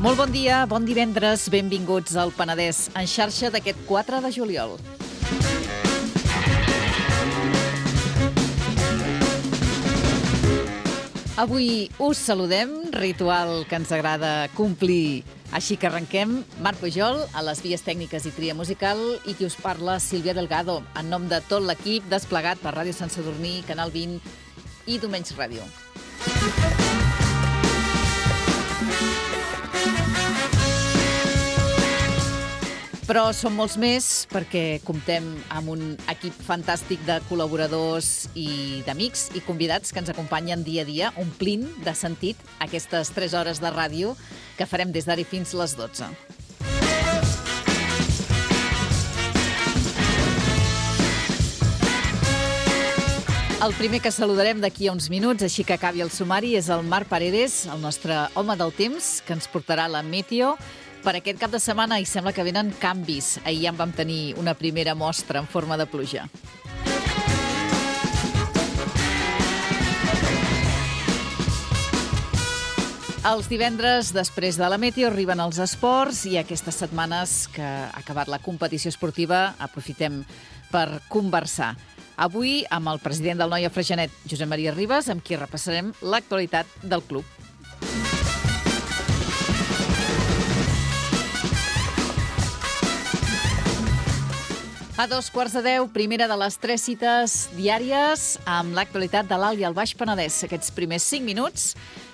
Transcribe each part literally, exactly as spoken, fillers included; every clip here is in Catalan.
Molt bon dia, bon divendres, benvinguts al Penedès en xarxa d'aquest quatre de juliol. Avui us saludem, ritual que ens agrada complir. Així que arrenquem. Marc Pujol, a les vies tècniques i tria musical, i qui us parla, Sílvia Delgado, en nom de tot l'equip desplegat per Ràdio Sant Sadurní, Canal vint i Domenys Ràdio. Però som molts més perquè comptem amb un equip fantàstic de col·laboradors i d'amics i convidats que ens acompanyen dia a dia, omplint de sentit aquestes tres hores de ràdio que farem des d'ara fins les dotze. El primer que saludarem d'aquí a uns minuts, així que acabi el sumari, és el Marc Paredes, el nostre home del temps, que ens portarà la Meteo per aquest cap de setmana, i sembla que venen canvis. Ahir ja en vam tenir una primera mostra en forma de pluja. Els divendres, després de la Meteo, arriben els esports, i aquestes setmanes que ha acabat la competició esportiva aprofitem per conversar. Avui amb el president del Noia Freixenet, Josep Maria Ribas, amb qui repassarem l'actualitat del club. A dos quarts de deu, primera de les tres cites diàries amb l'actualitat de l'Alt i el Baix Penedès. Aquests primers cinc minuts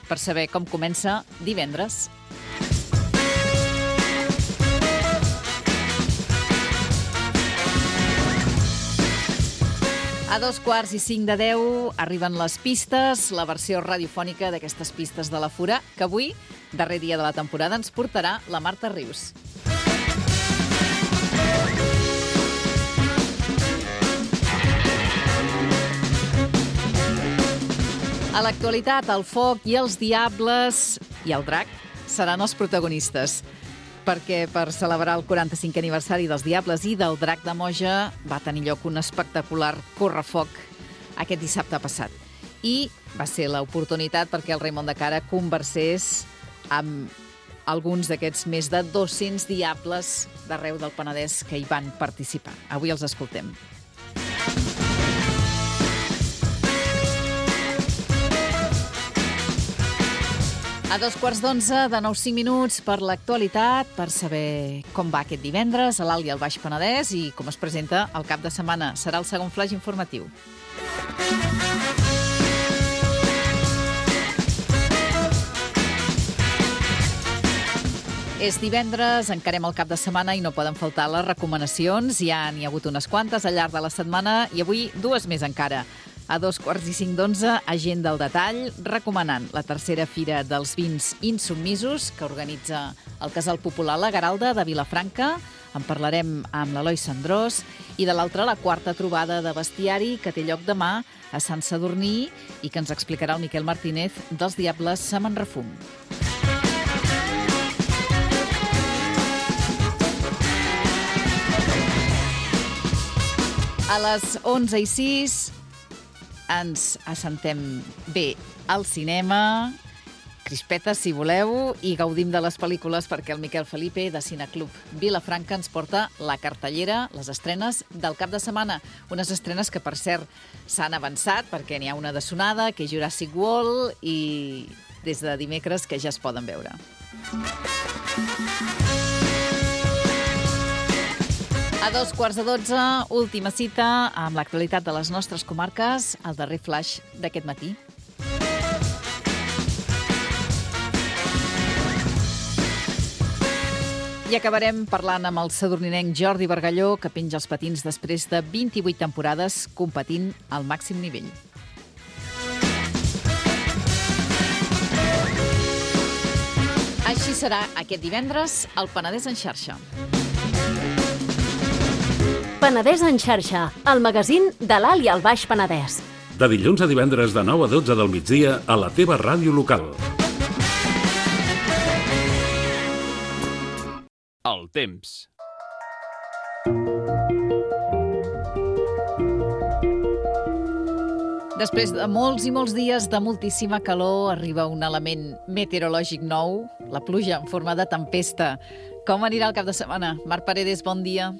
per saber com comença divendres. A dos quarts i cinc de deu arriben les pistes, la versió radiofònica d'aquestes pistes de la Fura, que avui, darrer dia de la temporada, ens portarà la Marta Rius. A l'actualitat, el foc i els diables i el drac seran els protagonistes, perquè per celebrar el quaranta-cinquè aniversari dels Diables i del Drac de Moja va tenir lloc un espectacular correfoc aquest dissabte passat. I va ser l'oportunitat perquè el Raimon de Cara conversés amb alguns d'aquests més de dos-cents diables d'arreu del Penedès que hi van participar. Avui els escoltem. A dos quarts d'onze, de nou cinc minuts per l'actualitat, per saber com va aquest divendres a l'Alt i el Baix Penedès i com es presenta el cap de setmana. Serà el segon flaix informatiu. És divendres, encarem el cap de setmana i no poden faltar les recomanacions. Ja n'hi ha hagut unes quantes al llarg de la setmana i avui dues més encara. A dos quarts i cinc d'onze, Agenda al detall, recomanant la tercera Fira dels Vins Insubmisos que organitza el Casal Popular La Garalda de Vilafranca. En parlarem amb l'Eloi Sandrós. I de l'altra, la quarta trobada de bestiari que té lloc demà a Sant Sadurní i que ens explicarà el Miquel Martínez dels Diables Semen Refum. A les onze i sis ens assentem bé al cinema, crispetes si voleu, i gaudim de les pel·lícules perquè el Miquel Felipe de Cineclub Vilafranca ens porta la cartellera, les estrenes del cap de setmana. Unes estrenes que, per cert, s'han avançat perquè n'hi ha una de sonada, que és Jurassic World, i des de dimecres que ja es poden veure. A dos quarts de dotze, última cita amb l'actualitat de les nostres comarques, el darrer flaix d'aquest matí. I acabarem parlant amb el sadurninenc Jordi Bargalló, que penja els patins després de vint-i-vuit temporades competint al màxim nivell. Així serà aquest divendres al Penedès en xarxa. Penedès en xarxa, el magazín de l'Alt i el Baix Penedès. De dilluns a divendres de nou a dotze del migdia a la teva ràdio local. El temps. Després de molts i molts dies de moltíssima calor, arriba un element meteorològic nou, la pluja en forma de tempesta. Com anirà el cap de setmana? Marc Paredes, bon dia.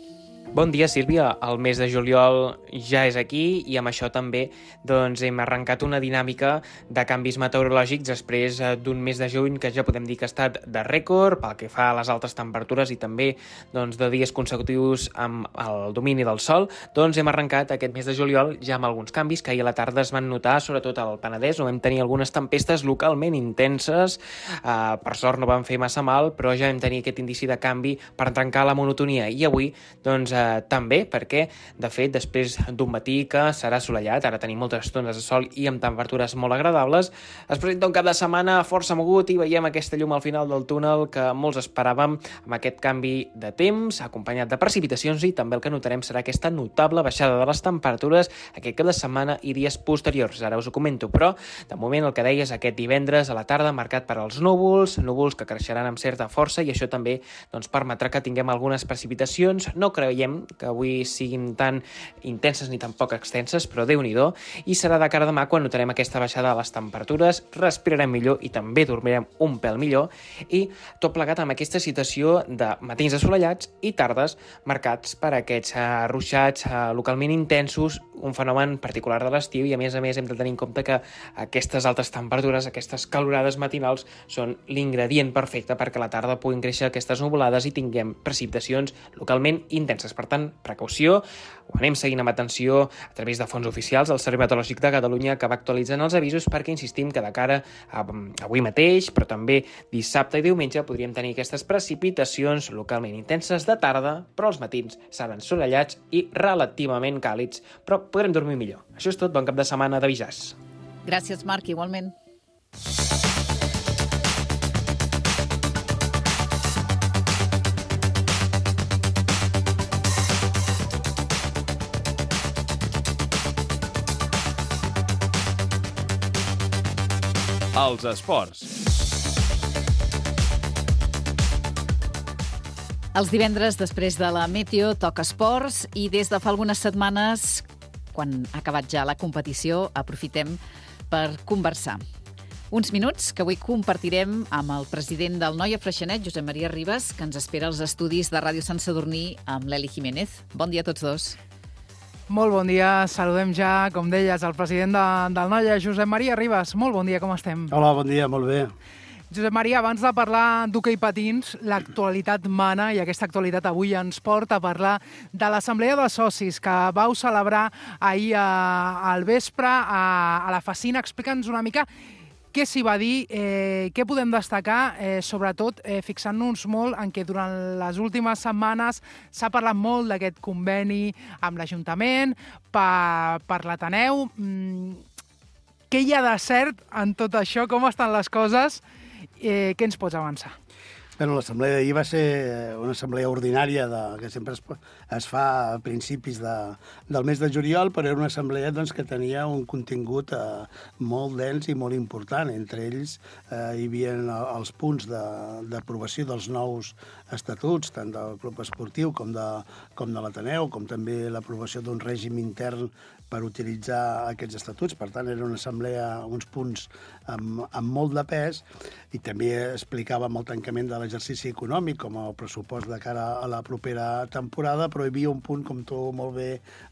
Bon dia, Sílvia. El mes de juliol ja és aquí i amb això també doncs, hem arrencat una dinàmica de canvis meteorològics després d'un mes de juny que ja podem dir que ha estat de rècord pel que fa a les altes temperatures i també doncs, de dies consecutius amb el domini del sol. Doncs hem arrencat aquest mes de juliol ja amb alguns canvis que ahir a la tarda es van notar, sobretot al Penedès, on vam tenir algunes tempestes localment intenses. Uh, per sort no van fer massa mal, però ja vam tenir aquest indici de canvi per trencar la monotonia. I avui, doncs, Uh, també perquè, de fet, després d'un matí que serà assolellat, ara tenim moltes estones de sol i amb temperatures molt agradables, es presenta un cap de setmana força mogut i veiem aquesta llum al final del túnel que molts esperàvem amb aquest canvi de temps, acompanyat de precipitacions, i també el que notarem serà aquesta notable baixada de les temperatures aquest cap de setmana i dies posteriors. Ara us ho comento, però de moment el que deies aquest divendres a la tarda marcat per als núvols, núvols que creixeran amb certa força i això també doncs, permetrà que tinguem algunes precipitacions. No creiem que avui siguin tan intenses ni tan poc extenses, però Déu-n'hi-do, i serà de cara a demà quan notarem aquesta baixada de les temperatures, respirarem millor i també dormirem un pèl millor, i tot plegat amb aquesta situació de matins assolellats i tardes marcats per aquests uh, ruixats uh, localment intensos, un fenomen particular de l'estiu, i a més a més hem de tenir en compte que aquestes altes temperatures, aquestes calorades matinals, són l'ingredient perfecte perquè a la tarda puguin créixer aquestes nuvolades i tinguem precipitacions localment intenses. Per tant, precaució, ho anem seguint amb atenció a través de fonts oficials del Servei Meteorològic de Catalunya que va actualitzant els avisos perquè insistim que de cara a avui mateix, però també dissabte i diumenge podríem tenir aquestes precipitacions localment intenses de tarda, però els matins seran assolellats i relativament càlids, però podrem dormir millor. Això és tot, bon cap de setmana de Visàs. Gràcies, Marc, igualment. Els esports. Els divendres, després de la Meteo, toca esports i des de fa algunes setmanes, quan ha acabat ja la competició, aprofitem per conversar. Uns minuts que avui compartirem amb el president del Noia Freixenet, Josep Maria Ribas, que ens espera als estudis de Ràdio Sant Sadurní amb l'Eli Jiménez. Bon dia a tots dos. Molt bon dia, saludem ja, com deies, el president de, del Noia, Josep Maria Ribas. Molt bon dia, com estem? Hola, bon dia, molt bé. Josep Maria, abans de parlar d'hoquei patins, l'actualitat mana i aquesta actualitat avui ens porta a parlar de l'Assemblea de Socis que vau celebrar ahir a, al vespre a, a la Facina. Explica'ns una mica què s'hi va dir, eh, què podem destacar, eh, sobretot eh, fixant-nos molt en què durant les últimes setmanes s'ha parlat molt d'aquest conveni amb l'Ajuntament per, per l'Ateneu. Mm, què hi ha de cert en tot això? Com estan les coses? Eh, què ens pots avançar? Bueno, l'assemblea d'ahir va ser una assemblea ordinària de, que sempre es, es fa a principis de, del mes de juliol, però era una assemblea doncs, que tenia un contingut eh, molt dens i molt important. Entre ells eh, hi havia els punts d'aprovació de, dels nous estatuts, tant del club esportiu com de, com de l'Ateneu, com també l'aprovació d'un règim intern per utilitzar aquests estatuts. Per tant, era una assemblea, uns punts amb, amb molt de pes, i també explicàvem el tancament de l'exercici econòmic com el pressupost de cara a la propera temporada, però hi havia un punt, com tu molt bé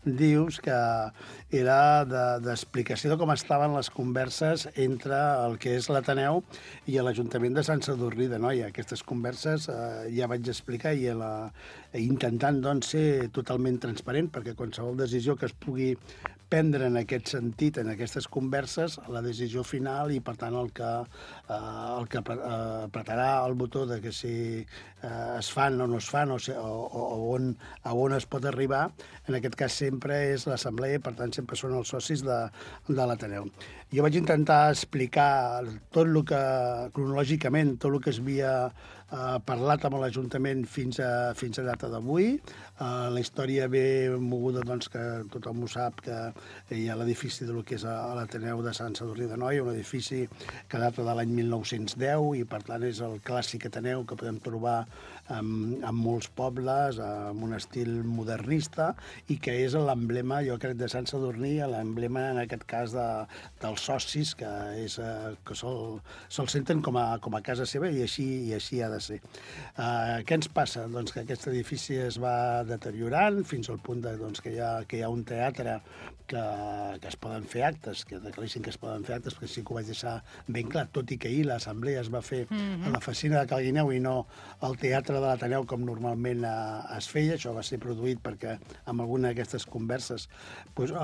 dius, que era d'explicació de, de com estaven les converses entre el que és l'Ateneu i l'Ajuntament de Sant Sadurní d'Anoia. Aquestes converses eh, ja vaig explicar i la, intentant doncs, ser totalment transparent, perquè qualsevol decisió que es pugui prendre en aquest sentit, en aquestes converses, la decisió final i, per tant, el que, eh, el que apretarà el botó de, que si eh, es fan o no es fan, o, o, o on, a on es pot arribar, en aquest cas sempre és l'assemblea, per tant sempre són els socis de, de l'Ateneu. Jo vaig intentar explicar tot el que, cronològicament, tot el que es havia eh, parlat amb l'Ajuntament fins a, fins a data d'avui. Uh, la història ve moguda, doncs, que tothom ho sap, que hi ha l'edifici del que és l'Ateneu de Sant Sadurní d'Anoia, un edifici que data de l'any mil nou-cents deu i, per tant, és el clàssic Ateneu que podem trobar en, en molts pobles, amb un estil modernista, i que és l'emblema, jo crec, de Sant Sadurní, l'emblema, en aquest cas, de, dels socis, que, és, uh, que se'l se senten com a, com a casa seva, i així, i així ha de ser. Uh, què ens passa? Doncs que aquest edifici es va deteriorant fins al punt de, doncs, que, hi ha, que hi ha un teatre que, que es poden fer actes, que declarissin que es poden fer actes, perquè sí que ho vaig deixar ben clar, tot i que ahir l'assemblea es va fer mm-hmm. a la Fassina de Calguineu i no al Teatre de l'Ateneu com normalment eh, es feia. Això va ser produït perquè amb alguna d'aquestes converses doncs, eh,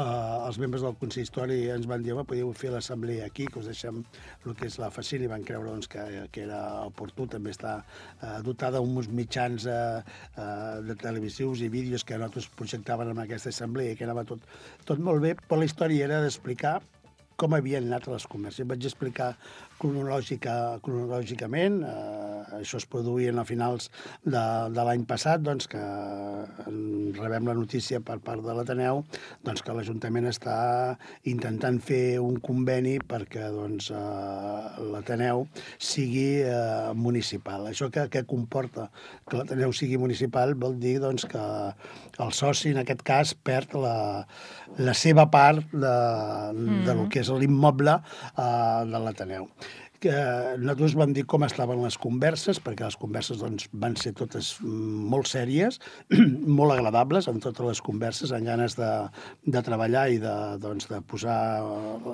els membres del consistori ens van dir, home, podíeu fer l'assemblea aquí, que us deixem el que és la Fassina, i van creure doncs, que, que era oportú. També està eh, dotada d'uns mitjans eh, eh, de televisius i vídeos que nosaltres projectaven en aquesta assemblea, que anava tot, tot molt bé, però la història era d'explicar com havien anat les converses. Vaig explicar cronològica, cronològicament, eh, això es produïa a finals de, de l'any passat, doncs, que rebem la notícia per part de l'Ateneu doncs, que l'Ajuntament està intentant fer un conveni perquè doncs, eh, l'Ateneu sigui eh, municipal. Això que, que comporta que l'Ateneu sigui municipal vol dir doncs, que el soci, en aquest cas, perd la, la seva part de, mm. de lo que és l'immoble eh, de l'Ateneu. Que nosaltres vam dir com estaven les converses, perquè les converses doncs, van ser totes molt sèries, molt agradables, en totes les converses, amb ganes de, de treballar i de, doncs, de posar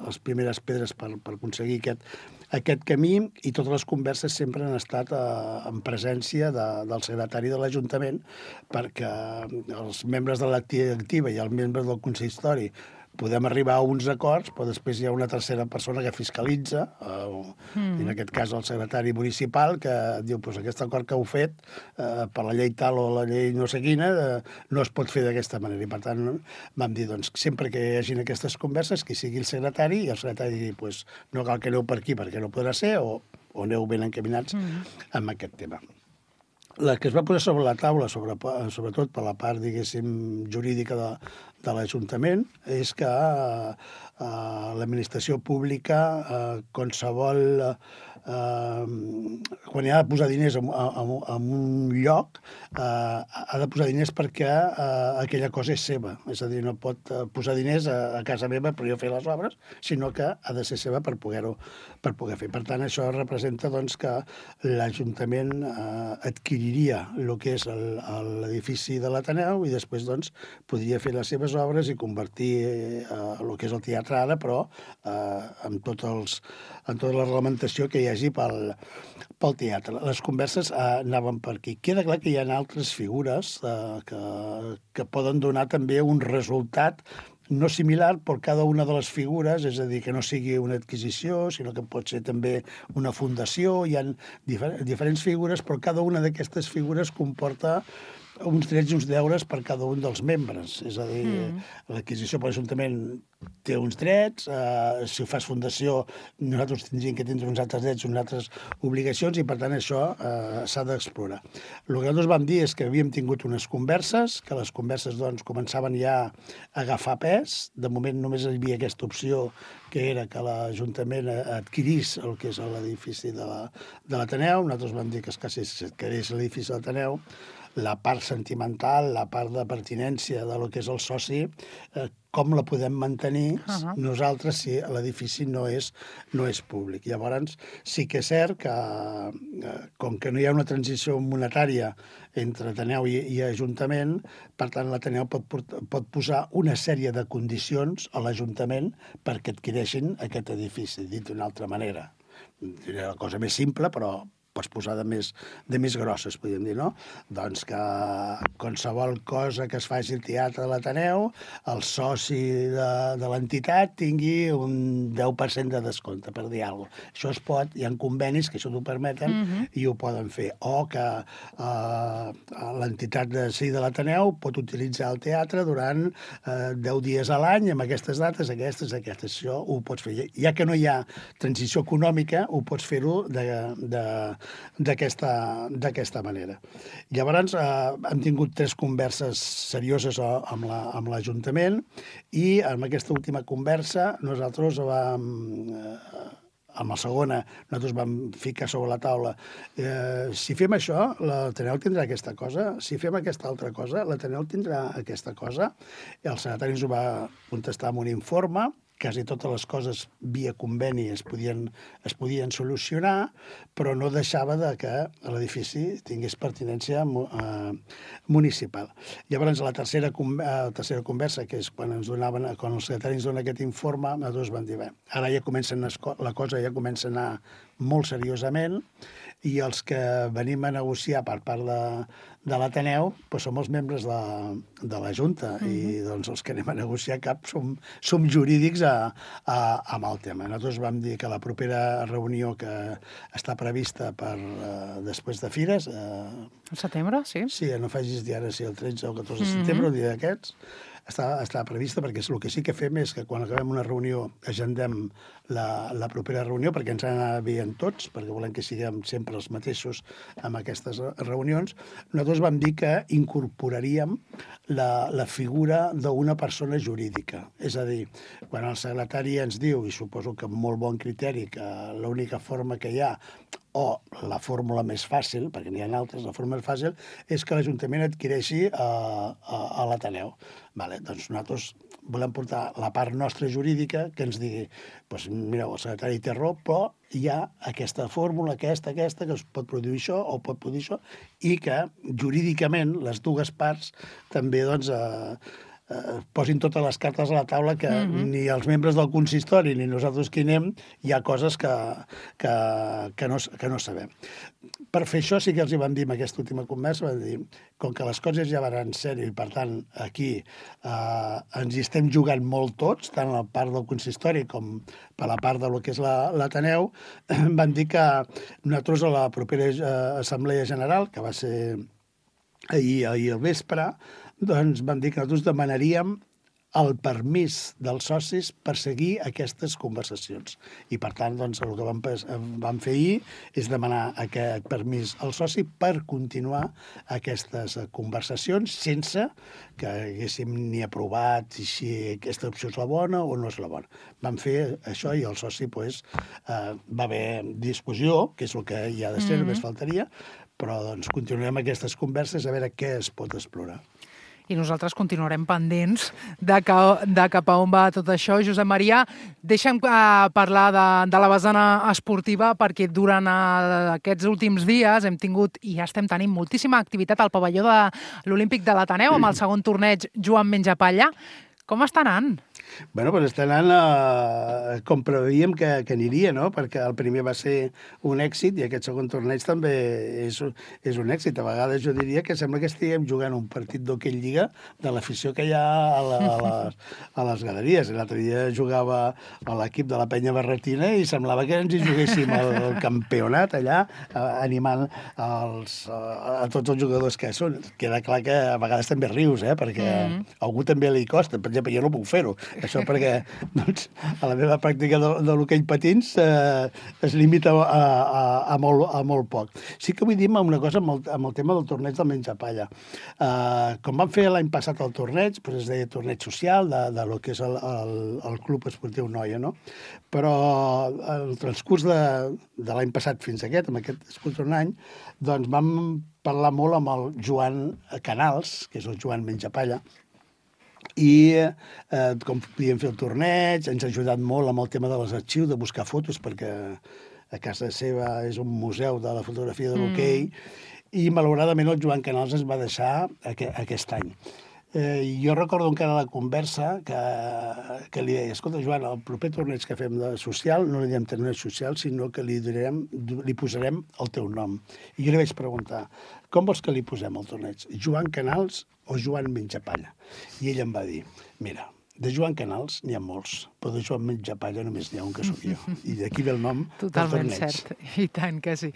les primeres pedres per, per aconseguir aquest, aquest camí, i totes les converses sempre han estat eh, en presència de, del secretari de l'Ajuntament, perquè els membres de l'activa activa i els membres del consistori podem arribar a uns acords, però després hi ha una tercera persona que fiscalitza, eh, mm. en aquest cas el secretari municipal, que diu, pues, aquest acord que heu fet eh, per la llei tal o la llei no sé quina, eh, no es pot fer d'aquesta manera. I per tant vam dir, doncs, sempre que hi hagin aquestes converses, que sigui el secretari, i el secretari digui, pues, no cal que aneu per aquí perquè no podrà ser, o, o aneu ben encaminats mm. amb aquest tema. La que es va posar sobre la taula, sobre, sobretot per la part, diguéssim, jurídica de, de l'Ajuntament, és que eh, l'administració pública, eh, qualsevol... Eh, quan hi ha de posar diners en, en, en un lloc, eh, ha de posar diners perquè eh, aquella cosa és seva. És a dir, no pot posar diners a, a casa meva per jo fer les obres, sinó que ha de ser seva per poder-ho per poder fer. Per tant, això representa doncs, que l'Ajuntament eh, adquiriria el que és l'edifici de l'Ateneu i després doncs, podria fer les seves obres i convertir eh, el que és el teatre ara, però eh, amb, tots els, amb tota la reglamentació que hi hagi pel, pel teatre. Les converses eh, anaven per aquí. Queda clar que hi ha altres figures eh, que, que poden donar també un resultat no similar per cada una de les figures, és a dir, que no sigui una adquisició, sinó que pot ser també una fundació. Hi ha difer diferents figures, però cada una d'aquestes figures comporta uns drets i uns deures per cada un dels membres. És a dir, mm. l'adquisició per l'Ajuntament té uns drets, eh, si fas fundació nosaltres tindríem que tindre uns altres drets, unes altres obligacions, i per tant això eh, s'ha d'explorar. El que nosaltres vam dir és que havíem tingut unes converses, que les converses doncs, començaven ja a agafar pes. De moment només hi havia aquesta opció, que era que l'Ajuntament adquirís el que és l'edifici de l'Ateneu. Nosaltres vam dir que es quedés l'edifici de l'Ateneu. La part sentimental, la part de pertinència de lo que és el soci, eh, com la podem mantenir uh-huh. nosaltres si l'edifici no és, no és públic. Llavors, sí que és cert que, eh, com que no hi ha una transició monetària entre Ateneu i, i Ajuntament, per tant, l'Ateneu pot, pot posar una sèrie de condicions a l'Ajuntament perquè adquireixin aquest edifici, dit d'una altra manera. Era la cosa més simple, però pots posar de més, de més grosses, podríem dir, no? Doncs que qualsevol cosa que es faci al teatre de l'Ateneu, el soci de, de l'entitat tingui un deu per cent de descompte, per dir alguna cosa. Això es pot, hi ha convenis que això t'ho permeten mm-hmm. i ho poden fer. O que eh, l'entitat de, sí, de l'Ateneu pot utilitzar el teatre durant eh, deu dies a l'any, amb aquestes dates, aquestes, aquestes. Això ho pots fer. Ja que no hi ha transició econòmica, ho pots fer-ho d'aquesta manera. Llavors, eh, hem tingut tres converses serioses amb l'Ajuntament la, i en aquesta última conversa nosaltres vam... Eh, amb la segona, nosaltres vam ficar sobre la taula eh, si fem això, l'Ateneu tindrà aquesta cosa, si fem aquesta altra cosa, l'Ateneu tindrà aquesta cosa. I el secretari ens ho va contestar amb un informe, quasi totes les coses via conveni es podien, es podien solucionar, però no deixava de que l'edifici tingués pertinència eh, municipal. Llavors, la tercera, eh, tercera conversa, que és quan ens donaven, quan el secretari ens dona aquest informe, nosaltres vam dir, bé, ara ja comencen, la cosa ja comença a anar molt seriosament, i els que venim a negociar per part de, de l'Ateneu doncs som els membres de, de la Junta, mm-hmm. i doncs els que anem a negociar cap som, som jurídics a, a, amb el tema. Nosaltres vam dir que la propera reunió que està prevista per uh, després de Fires... Uh, el setembre, sí? Sí, no facis dir ara si el tretze o catorze de setembre, mm-hmm. un dia d'aquests, està, està prevista, perquè el que sí que fem és que quan acabem una reunió agendem la, la propera reunió, perquè ens han d'anar veient tots, perquè volem que siguem sempre els mateixos amb aquestes reunions. Nosaltres vam dir que incorporaríem la, la figura d'una persona jurídica. És a dir, quan el secretari ens diu, i suposo que amb molt bon criteri, que l'única forma que hi ha, o la fórmula més fàcil, perquè n'hi ha altres, la fórmula més fàcil, és que l'Ajuntament adquireixi a, a, a l'Ateneu. Vale, doncs nosaltres volem portar la part nostra jurídica que ens digui, doncs, mireu, el secretari té raó, però hi ha aquesta fórmula, aquesta, aquesta, que es pot produir això o pot produir això, i que jurídicament les dues parts també doncs, eh, eh, posin totes les cartes a la taula, que mm-hmm. ni els membres del consistori ni nosaltres qui anem hi ha coses que, que, que, no, que no sabem. Per fer això sí que els hi vam dir en aquesta última conversa, vam dir, com que les coses ja van en sèrio i per tant aquí eh, ens hi estem jugant molt tots, tant la part del consistori com per la part del que és l'Ateneu, van dir que nosaltres a la propera eh, Assemblea General, que va ser ahir, ahir al vespre, doncs vam dir que nosaltres demanaríem el permís dels socis per seguir aquestes conversacions. I, per tant, doncs, el que vam, vam fer ahir és demanar aquest permís al soci per continuar aquestes conversacions sense que haguéssim ni aprovat si aquesta opció és la bona o no és la bona. Vam fer això i el soci pues, eh, va haver discussió, que és el que hi ha de ser, mm-hmm. només faltaria, però doncs, continuarem aquestes converses a veure què es pot explorar. I nosaltres continuarem pendents de, que, de cap a on va tot això. Josep Maria, deixa'm uh, parlar de, de la vessant esportiva, perquè durant uh, aquests últims dies hem tingut i ja estem tenint moltíssima activitat al pavelló de l'Olímpic de l'Ateneu amb el segon torneig Joan Menjapalla. Com està anant? Bueno, doncs està anant eh, com preveiem que, que aniria, no? Perquè el primer va ser un èxit i aquest segon torneig també és, és un èxit. A vegades jo diria que sembla que estiguem jugant un partit d'hoquei lliga de l'afició que hi ha a, la, a, les, a les galeries. L'altre dia jugava a l'equip de la Penya Barretina i semblava que ens hi juguéssim el, el campionat allà, eh, animant els, a, a tots els jugadors que són. Queda clar que a vegades també rius, eh? Perquè mm. a algú també li costa. Per exemple, jo no puc fer-ho. Això perquè doncs, a la meva pràctica de, de l'hoquei patins eh, es limita a, a, a, molt, a molt poc. Sí que vull dir una cosa amb el, amb el tema del torneig del Menjapalla. Eh, com vam fer l'any passat el torneig, doncs es deia torneig social de, de lo que és el, el, el Club Esportiu Noia, no? Però el transcurs de, de l'any passat fins aquest, amb aquest transcurs d'un any, doncs vam parlar molt amb el Joan Canals, que és el Joan Menjapalla, i eh, com podíem fer el torneig, ens ha ajudat molt amb el tema de les arxius, de buscar fotos, perquè a casa seva és un museu de la fotografia de l'hoquei, mm. i malauradament el Joan Canals ens va deixar aqu aquest any. Eh, jo recordo encara la conversa que, que li deia, escolta, Joan, el proper torneig que fem de social no li diem torneig social, sinó que li, direm, li posarem el teu nom. I jo li vaig preguntar, com vols que li posem el torneig? Joan Canals o Joan Menjapalla? I ell em va dir, mira, de Joan Canals n'hi ha molts, però de Joan Menjapalla només n'hi ha un que sóc jo. I d'aquí ve el nom Totalment del torneig. cert, i tant que sí.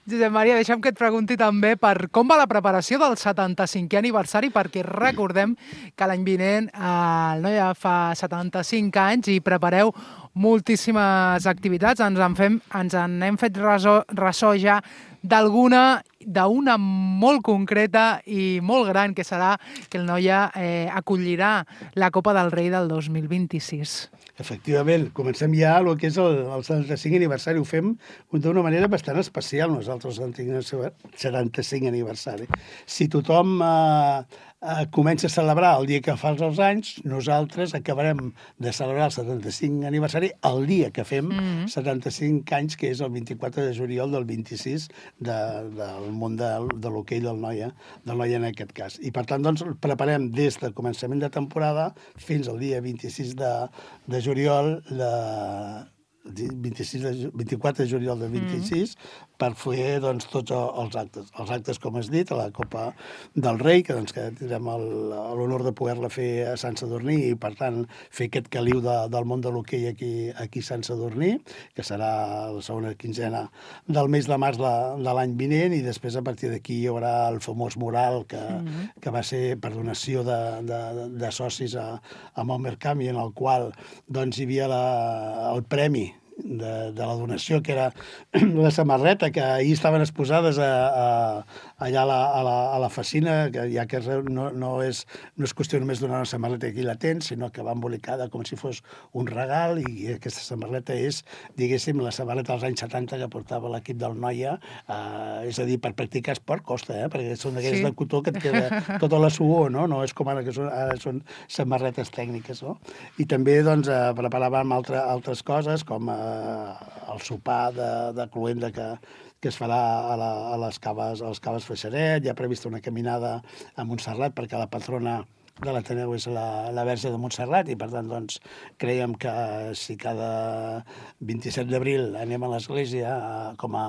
Josep Maria, deixa'm que et pregunti també per com va la preparació del setanta-cinquè aniversari, perquè recordem que l'any vinent el Noia fa setanta-cinc anys i prepareu moltíssimes activitats. Ens en, fem, ens en hem fet ressò, ressò ja d'alguna, d'una molt concreta i molt gran, que serà que el Noia eh, acollirà la Copa del Rei del dos mil vint-i-sis. Efectivament, comencem ja el que és el, el setanta-cinc aniversari. Ho fem d'una manera bastant especial, nosaltres, el setanta-cinc aniversari. Si tothom eh, eh, comença a celebrar el dia que fa els anys, nosaltres acabarem de celebrar el setanta-cinc aniversari el dia que fem mm-hmm. setanta-cinc anys, que és el vint-i-quatre de juliol del vint-i-sis de, del món de, de l'hoquei del Noia, del Noia en aquest cas. I per tant, doncs, preparem des del començament de temporada fins al dia vint-i-sis de, de juliol, de, vint-i-sis de, vint-i-quatre de juliol del vint-i-sis, mm. per fer doncs, tots els actes. Els actes, com has dit, a la Copa del Rei, que, doncs, que tindrem l'honor de poder-la fer a Sant Sadurní i, per tant, fer aquest caliu de, del món de l'hoquei aquí, aquí a Sant Sadurní, que serà la segona quinzena del mes de març de, de l'any vinent, i després, a partir d'aquí, hi haurà el famós mural que, mm. que va ser per donació de, de, de socis a, a Malmercamp, i en el qual doncs, hi havia la, el premi De, de la donació, que era la samarreta, que ahir estaven exposades a, a, allà a la, a, la, a la fassina, que ja que no, no, és, no és qüestió només donar una samarreta aquí la tens, sinó que va embolicada com si fos un regal, i aquesta samarreta és, diguéssim, la samarreta dels anys setanta que portava l'equip del Noia, eh, és a dir, per practicar esport costa, eh? Perquè són d'aquelles sí. de cotó que et queda tota la suor, no? No és com ara que són, ara són samarretes tècniques, no? I també, doncs, eh, preparàvem altre, altres coses, com eh, el sopar de, de cloenda que, que es farà a, la, a les caves, a les caves Freixeret. Hi ha prevista una caminada a Montserrat, perquè la patrona de l'Ateneu és la, la Verge de Montserrat, i per tant doncs, creiem que si cada vint-i-set d'abril anem a l'església com a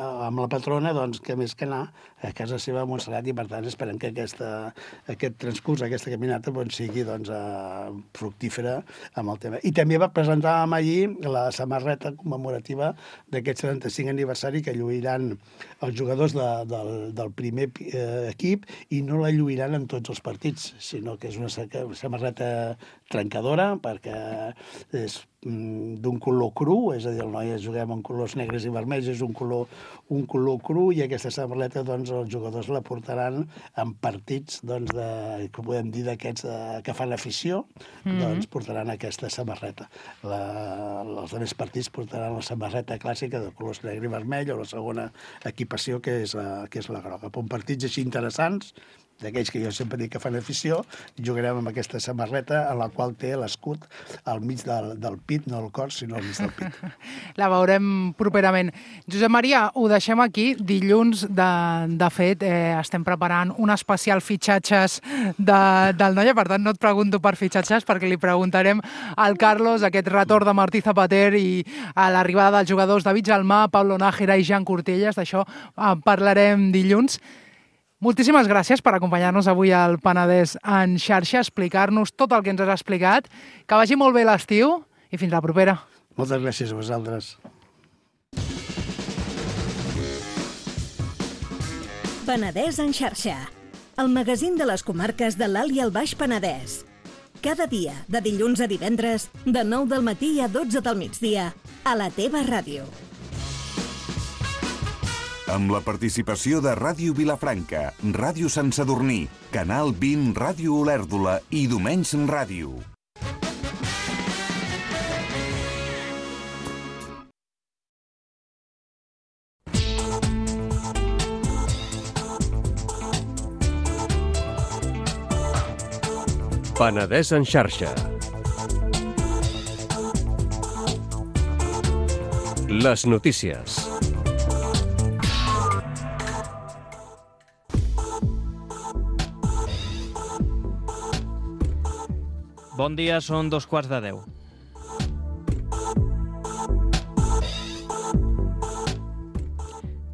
amb la patrona, doncs, que més que anar a casa seva a Montserrat, i per tant esperem que aquesta, aquest transcurs, aquesta caminata, doncs, sigui doncs, uh, fructífera amb el tema. I també va presentar allí la samarreta commemorativa d'aquest setanta-cinc aniversari, que lluiran els jugadors de, del, del primer eh, equip, i no la lluiran en tots els partits, sinó que és una samarreta trencadora, perquè és d'un color cru, és a dir, el Noia juguem en colors negres i vermells, és un color, un color cru, i aquesta samarreta doncs, els jugadors la portaran en partits, doncs, de, que podem dir d'aquests que fan afició, mm-hmm. doncs portaran aquesta samarreta. La, els altres partits portaran la samarreta clàssica de colors negre i vermell, o la segona equipació, que és la, que és la groga. Per partits així interessants, d'aquells que jo sempre dic que fan afició, jugarem amb aquesta samarreta, en la qual té l'escut al mig del, del pit, no al cor, sinó al mig del pit. La veurem properament. Josep Maria, ho deixem aquí. Dilluns, de, de fet, eh, estem preparant un especial fitxatges de, del Noia, per tant no et pregunto per fitxatges, perquè li preguntarem al Carlos aquest retorn de Martí Zapater i a l'arribada dels jugadors David Jalmà, Pablo Nájera i Jan Cortelles. D'això en parlarem dilluns. Moltíssimes gràcies per acompanyar-nos avui al Penedès en xarxa, explicar-nos tot el que ens has explicat. Que vagi molt bé l'estiu i fins la propera. Moltes gràcies a vosaltres. Penedès en xarxa, el magazín de les comarques de l'Alt i el Baix Penedès. Cada dia, de dilluns a divendres, de nou del matí a dotze del migdia, a la teva ràdio. Amb la participació de Ràdio Vilafranca, Ràdio Sant Sadurní, Canal vint, Ràdio Olèrdola i Domenys Ràdio. Penedès en xarxa. Les notícies. Bon dia, són dos quarts de deu.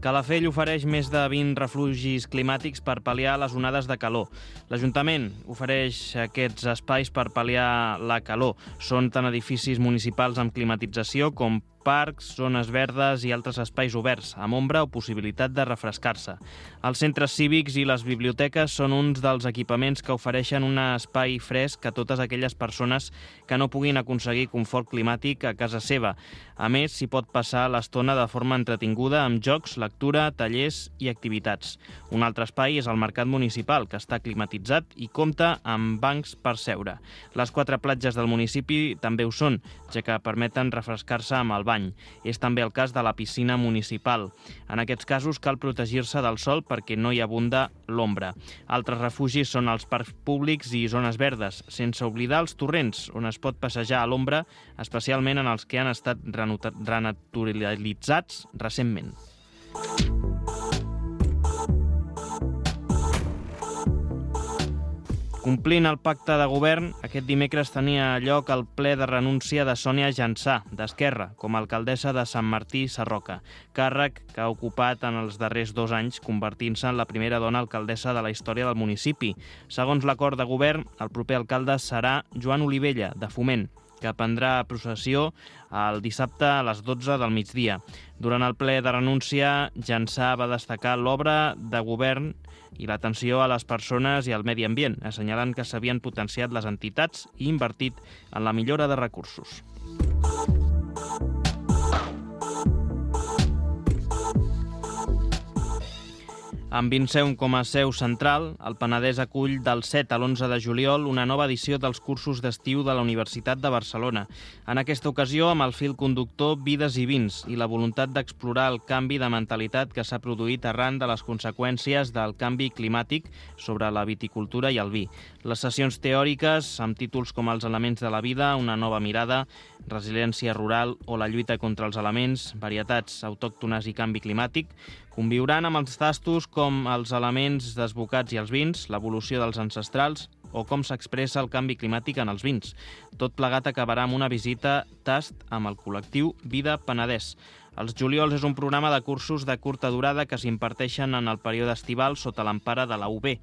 Calafell ofereix més de vint refugis climàtics per pal·liar les onades de calor. L'Ajuntament ofereix aquests espais per pal·liar la calor. Són tant edificis municipals amb climatització com parcs, zones verdes i altres espais oberts, amb ombra o possibilitat de refrescar-se. Els centres cívics i les biblioteques són uns dels equipaments que ofereixen un espai fresc a totes aquelles persones que no puguin aconseguir confort climàtic a casa seva. A més, s'hi pot passar l'estona de forma entretinguda amb jocs, lectura, tallers i activitats. Un altre espai és el Mercat Municipal, que està climatitzat i compta amb bancs per seure. Les quatre platges del municipi també ho són, ja que permeten refrescar-se amb el bany. És també el cas de la piscina municipal. En aquests casos cal protegir-se del sol perquè no hi abunda l'ombra. Altres refugis són els parcs públics i zones verdes, sense oblidar els torrents, on es pot passejar a l'ombra, especialment en els que han estat renaturalitzats recentment. Complint el pacte de govern, aquest dimecres tenia lloc el ple de renúncia de Sònia Jansà, d'Esquerra, com a alcaldessa de Sant Martí Sarroca, càrrec que ha ocupat en els darrers dos anys, convertint-se en la primera dona alcaldessa de la història del municipi. Segons l'acord de govern, el proper alcalde serà Joan Olivella, de Foment, que prendrà processió el dissabte a les dotze del migdia. Durant el ple de renúncia, Jansà va destacar l'obra de govern i l'atenció a les persones i al medi ambient, assenyalant que s'havien potenciat les entitats i invertit en la millora de recursos. Amb Vinceum com a seu central, el Penedès acull del set a l'onze de juliol una nova edició dels cursos d'estiu de la Universitat de Barcelona. En aquesta ocasió, amb el fil conductor Vides i Vins i la voluntat d'explorar el canvi de mentalitat que s'ha produït arran de les conseqüències del canvi climàtic sobre la viticultura i el vi. Les sessions teòriques, amb títols com Els elements de la vida, una nova mirada, resiliència rural o la lluita contra els elements, varietats autòctones i canvi climàtic, conviuran amb els tastos com els elements desbocats i els vins, l'evolució dels ancestrals o com s'expressa el canvi climàtic en els vins. Tot plegat acabarà amb una visita tast amb el col·lectiu Vida Penedès. Els juliols és un programa de cursos de curta durada que s'imparteixen en el període estival sota l'empara de la U B.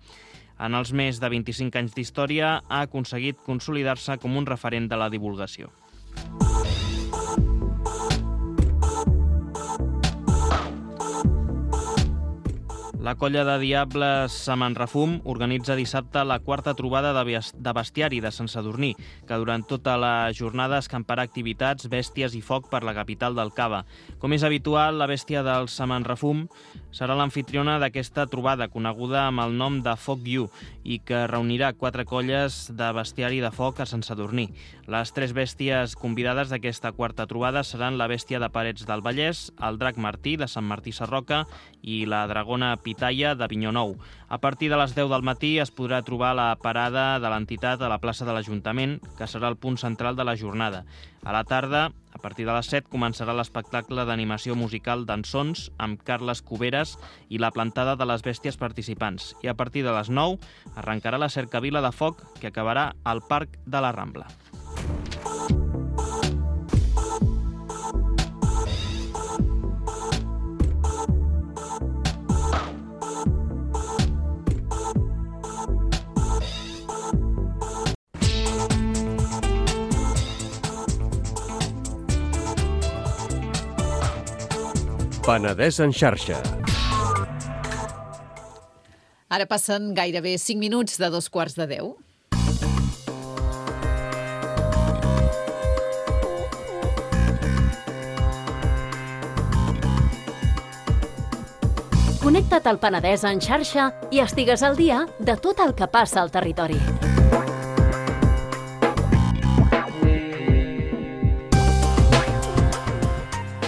En els més de vint-i-cinc anys d'història ha aconseguit consolidar-se com un referent de la divulgació. La colla de Diables Samanrefum organitza dissabte la quarta trobada de bestiari de Sant Sadurní, que durant tota la jornada escamparà activitats, bèsties i foc per la capital del Cava. Com és habitual, la bèstia del Samanrefum serà l'anfitriona d'aquesta trobada, coneguda amb el nom de Foc You, i que reunirà quatre colles de bestiari de foc a Sant Sadurní. Les tres bèsties convidades d'aquesta quarta trobada seran la bèstia de Parets del Vallès, el drac Martí de Sant Martí Sarroca i la dragona Pitaya de Vinyonou. A partir de les deu del matí es podrà trobar la parada de l'entitat a la plaça de l'Ajuntament, que serà el punt central de la jornada. A la tarda, a partir de les set, començarà l'espectacle d'animació musical d'Ensons amb Carles Cuberes i la plantada de les bèsties participants. I a partir de les nou arrencarà la cercavila de foc que acabarà al Parc de la Rambla. Penedès en xarxa. Ara passen gairebé cinc minuts de dos quarts de deu. Connecta't al Penedès en xarxa i estigues al dia de tot el que passa al territori.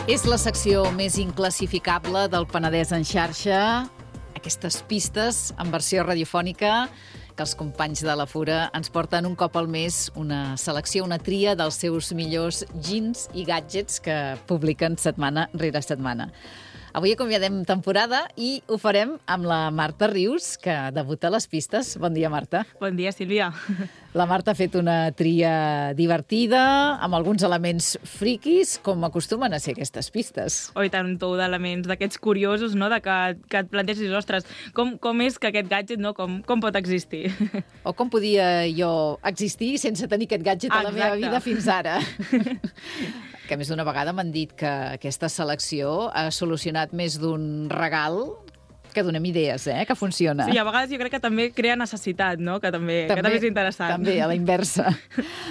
És la secció més inclassificable del Penedès en xarxa, aquestes pistes en versió radiofònica que els companys de la Fura ens porten un cop al mes una selecció, una tria dels seus millors gins i gadgets que publiquen setmana rere setmana. Avui acomiadem temporada i ho farem amb la Marta Rius, que debuta a les pistes. Bon dia, Marta. Bon dia, Sílvia. La Marta ha fet una tria divertida, amb alguns elements friquis, com acostumen a ser aquestes pistes. Oi, tant, un tou d'elements d'aquests curiosos, no?, de que, que et planteges, ostres, com, com és que aquest gadget, no?, com, com pot existir? O com podia jo existir sense tenir aquest gadget a la Exacte. meva vida fins ara. Que més d'una vegada m'han dit que aquesta selecció ha solucionat més d'un regal que donem idees, eh? Que funciona. Sí, a vegades jo crec que també crea necessitat, no?, que també, També, que també és interessant. També, a la inversa.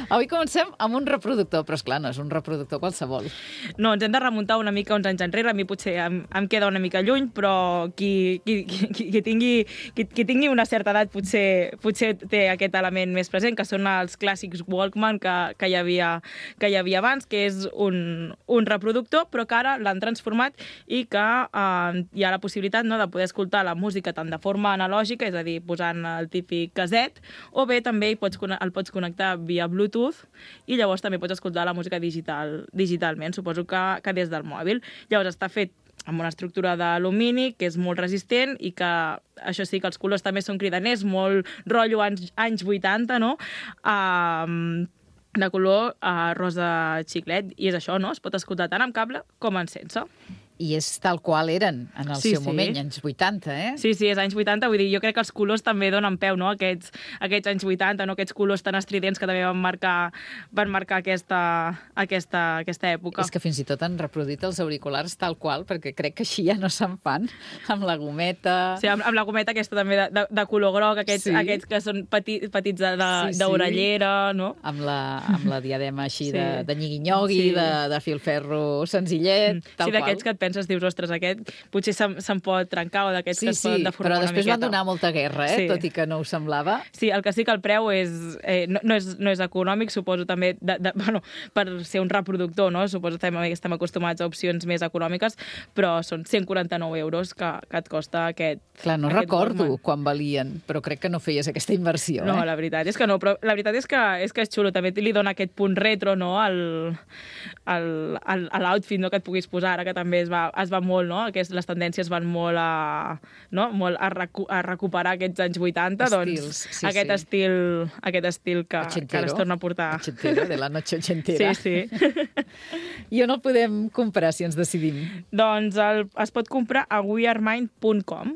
Avui comencem amb un reproductor, però esclar, no és un reproductor qualsevol. No, ens hem de remuntar una mica uns anys enrere. A mi potser em, em queda una mica lluny, però qui, qui, qui, qui, tingui, qui, qui tingui una certa edat potser, potser té aquest element més present, que són els clàssics Walkman que, que, hi, havia, que hi havia abans, que és un, un reproductor, però que ara l'han transformat i que eh, hi ha la possibilitat, no?, de poder escoltar la música tant de forma analògica, és a dir, posant el típic caset, o bé també hi pots, el pots connectar via Bluetooth i llavors també pots escoltar la música digital, digitalment, suposo que, que des del mòbil. Llavors està fet amb una estructura d'alumini que és molt resistent i que, això sí, que els colors també són cridaners, molt rotllo anys, anys vuitanta, no?, uh, de color uh, rosa xiclet, i és això, no?, es pot escoltar tant amb cable com en sense. I és tal qual eren en el Sí, seu sí. moment, anys vuitanta, eh? Sí, sí, és anys vuitanta, vull dir, jo crec que els colors també donen peu, no?, aquests, aquests anys vuitanta, no?, aquests colors tan estridents que també van marcar, van marcar aquesta, aquesta, aquesta època. És que fins i tot han reproduït els auriculars tal qual, perquè crec que així ja no se'n fan, amb la gometa... Sí, amb, amb la gometa aquesta també de, de, de color groc, aquests, Sí. aquests que són peti, petits de- de- Sí, sí. d'orellera, no? Amb la, amb la diadema així Sí. de, de nyigui-nyogui, Sí. de, de filferro senzillet, Mm. tal Sí, d'aquests que qual. et penses, dius, ostres, aquest potser se'n, se'n pot trencar, o d'aquests Sí, que es poden sí, deformar però una després van miqueta. donar molta guerra, eh? Sí. Tot i que no ho semblava. Sí, el que sí que el preu és, eh, no, no, és, no és econòmic, suposo també, de, de, bueno, per ser un reproductor, no? Suposo que també estem acostumats a opcions més econòmiques, però són cent quaranta-nou euros que, que et costa aquest... Clar, no aquest recordo Walkman. quan valien, però crec que no feies aquesta inversió, No, eh? la veritat és que no, però la veritat és que és, que és xulo, també li dona aquest punt retro, no?, al, al, al, a l'outfit, no?, que et puguis posar, ara que també es va, es va molt, no?, Aquest, les tendències van molt a, no?, molt a, recu a recuperar aquests anys vuitanta, Estils, doncs sí, aquest, sí. Estil, aquest estil que, que ara es torna a portar. Ochentero, de la noche ochentera. Sí, sí. I on el podem comprar, si ens decidim? Doncs el, es pot comprar a wearemind punt com.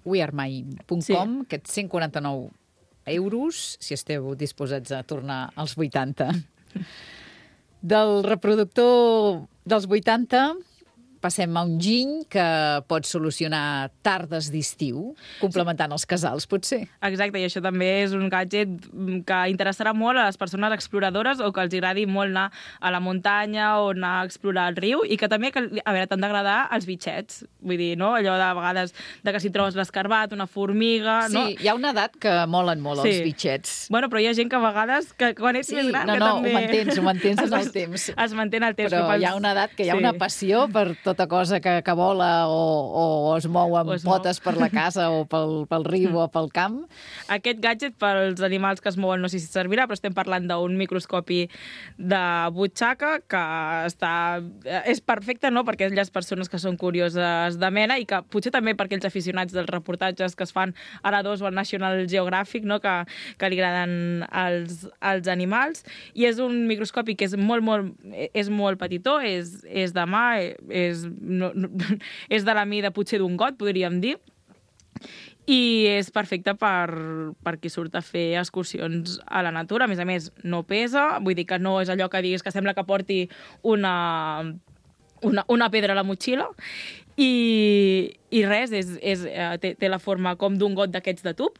wearemind punt com, Sí. aquests cent quaranta-nou euros, si esteu disposats a tornar als vuitanta. Del reproductor dels vuitanta passem a un giny que pot solucionar tardes d'estiu, complementant els casals, potser. Exacte, i això també és un gadget que interessarà molt a les persones exploradores o que els agradi molt anar a la muntanya o anar a explorar el riu i que també, que, a veure, t'han d'agradar els bitxets. Vull dir, no? Allò de vegades de que si trobes l'escarbat, una formiga... Sí, no? hi ha una edat que molen molt Sí. els bitxets. Bueno, però hi ha gent que a vegades, que quan ets Sí, més gran, no, que no, també... ho mantens, ho mantens en el Es- temps. Es manté en el temps. Però pels- hi ha una edat que hi ha Sí. una passió per tota cosa que, que vola o, o es mou amb O es mou. potes per la casa o pel, pel riu o pel camp. Aquest gadget pels animals que es mouen no sé si servirà, però estem parlant d'un microscopi de butxaca que està... és perfecte, no?, per aquelles persones que són curioses de mena i que potser també per aquells aficionats dels reportatges que es fan a la dos o al National Geographic, no?, que, que li agraden els, els animals. I és un microscopi que és molt, molt, és molt petitó, és, és de mà, és, no, no, és de la mida potser d'un got, podríem dir, i és perfecte per, per qui surt a fer excursions a la natura. A més a més, no pesa, vull dir que no és allò que diguis que sembla que porti una, una, una pedra a la motxilla, i, i res, és, és, té, té la forma com d'un got d'aquests de tub,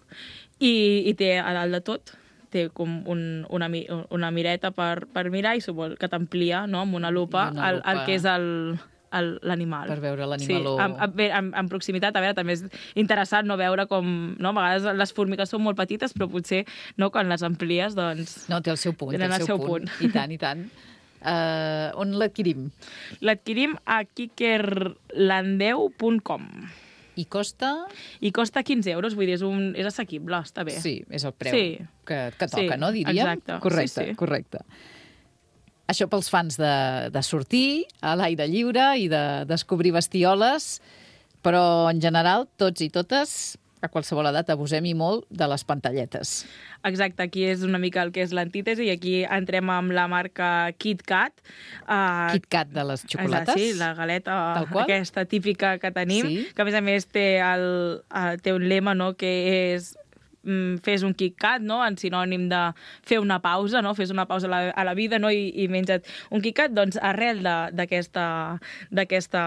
i, i té a dalt de tot té com un, una, una mireta per, per mirar i suposo que t'amplia, no?, amb una lupa, una el, el lupa. que és el, l'animal. Per veure l'animaló. Sí, en, en, en, en proximitat, a veure, també és interessant no veure com... No? A vegades les formigues són molt petites, però potser no, quan les amplies, doncs... No, té el seu punt, té tenen el seu, punt. punt. I tant, i tant. Uh, on l'adquirim? L'adquirim a kikerlandeu punt com. I costa? I costa quinze euros, vull dir, és, un, és assequible, està bé. Sí, és el preu sí. que, que toca, sí, no, diríem? Exacte. Correcte, sí, sí. correcte. Això pels fans de, de sortir a l'aire lliure i de descobrir bestioles, però en general, tots i totes, a qualsevol edat, abusem i molt de les pantalletes. Exacte, aquí és una mica el que és l'antítesi i aquí entrem amb la marca KitKat. Uh, KitKat de les xocolates? Sí, la galeta aquesta típica que tenim, sí. Que a més a més té, el, uh, té un lema, no?, que és mm, fes un KitKat, no?, en sinònim de fer una pausa, no?, fes una pausa a la, a la vida, no?, i, i menja't un KitKat. Doncs arrel d'aquesta d'aquesta